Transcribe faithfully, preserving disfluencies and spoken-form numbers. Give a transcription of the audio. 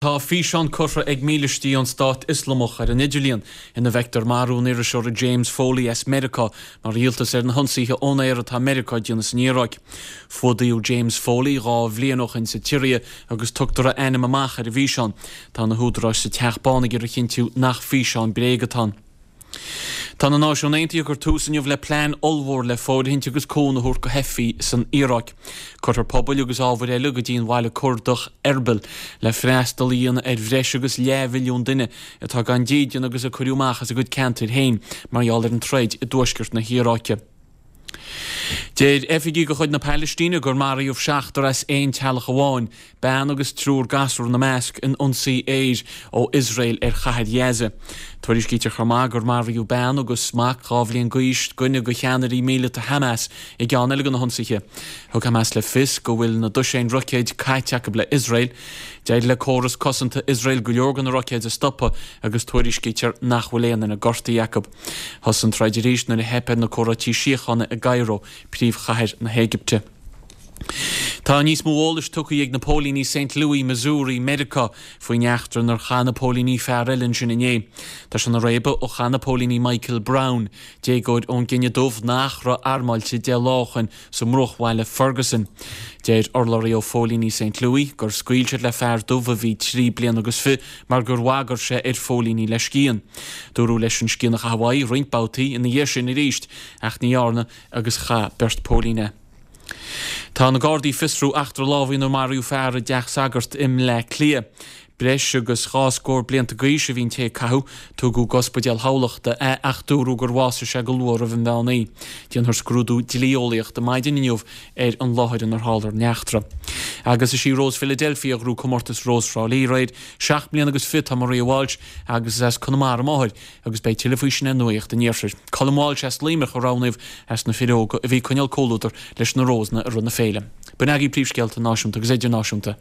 Tá físeán curtha ag mílístí an Stát Ioslamach ar an idirlíon ina bhfeictear marú an iriseora James Foley as Meiriceá mar dhíoltas ar na hionsaithe ón aer atá Meiriceá ag déanamh san Iaráic. Fuadaíodh James Foley dhá bhliain ó shin sa tSiria agus tugtar a ainm amach ar an bhfíseán. Tá na húdaráis sa Teach Bán ag iarraidh a chinntiú nach físeán bréige atá ann. Tá na Náisiúin Aontaithe ag cur tús inniu le plean ollmhór le fóirithint agus cúnamh a thabhairt do theifigh san Iaráic. Cuirfear pubaill agus ábhair eile go dtí an bhaile Curdach Erbil le freastal a dhéanamh ar bhreis agus leathmhilliún duine atá gan dídean agus a cuireadh amach as a gcuid ceantair féin mar gheall ar an troid i dtuaisceart na hIaráice. Deir oifigigh de chuid na Palaistíne gur maraíodh seachtar as aon teaghlach amháin, bean agus triúr gasúr ina measc, in ionsaí aeir ó Iosrael ar chathair Ghaza. Tuairiscítear chomh maith gur maraíodh bean agus mac dhá bhliain d'aois, duine de cheannairí míleata Hamas, i gceann eile de na hionsaithe. Thug Hamas le fios go bhfuil na dosaein roicéid caite acu le Iosrael. D'éirigh le córas cosanta Iosrael go leor de na roicéid a stopadh agus tuairiscítear nach bhfuil aon duine gortaithe acu. Thosaigh an troid arís nuair a theip ar na comhráití síochána i gCairo, príomhchathair na hÉigipte. Tá níos mó eolais tugtha ag na póilíní Saint Louis, Missouri, Meiriceá, faoin eachtra inar chaith na póilíní fear eile ansin inné. Tá sé ina réabadh ó chaith na póilíní Michael Brown, déagóir ón gcine dubh nach raibh armáilte deich lá ó shin sa mbruachbhaile Ferguson. Deir urlabhraí ó phóilíní Saint Louis gur scaoil siad le fear dubh a bhí trí bliana agus fiche mar gur bhagair sé ar phóilíní le scian. Dúradh leis an scian a chaitheamh uaidh roinnt babhtaí ina dhiaidh sin arís ach ní dhearna agus chaith beirt póilín é. Tá na Gardaí ag fiosrú eachtra lámhaigh inar maraíodh fear i dteach sagart i mBleá Cliath. Breis agus dhá scór blianta d'aois a bhí an té a caitheadh. Tugadh go Ospidéal Thamhlachta é ach dúradh gur bhásaigh sé go luath roimh an mheán oíche. Déanfar scrúdú dlí-eolaíochta maidin inniu ar an láthair inar tharla an eachtra. Agus is í Rós Philadelphia a ghnóthaigh comórtas Rós Thrá Lí aréir. Seacht mbliana agus fiche atá Maria Walsh agus is as Conamara a máthair agus beidh tuilleadh faoi sin ar Nuacht an Iarthair. Colm Walsh as Luimneach a roghnaíodh as na fir óga a bhí ag coinneáil comhluadar leis na Rósanna i rith na féile. B'in agaibh príomhscéalta náisiúnta agus idirnáisiúnta.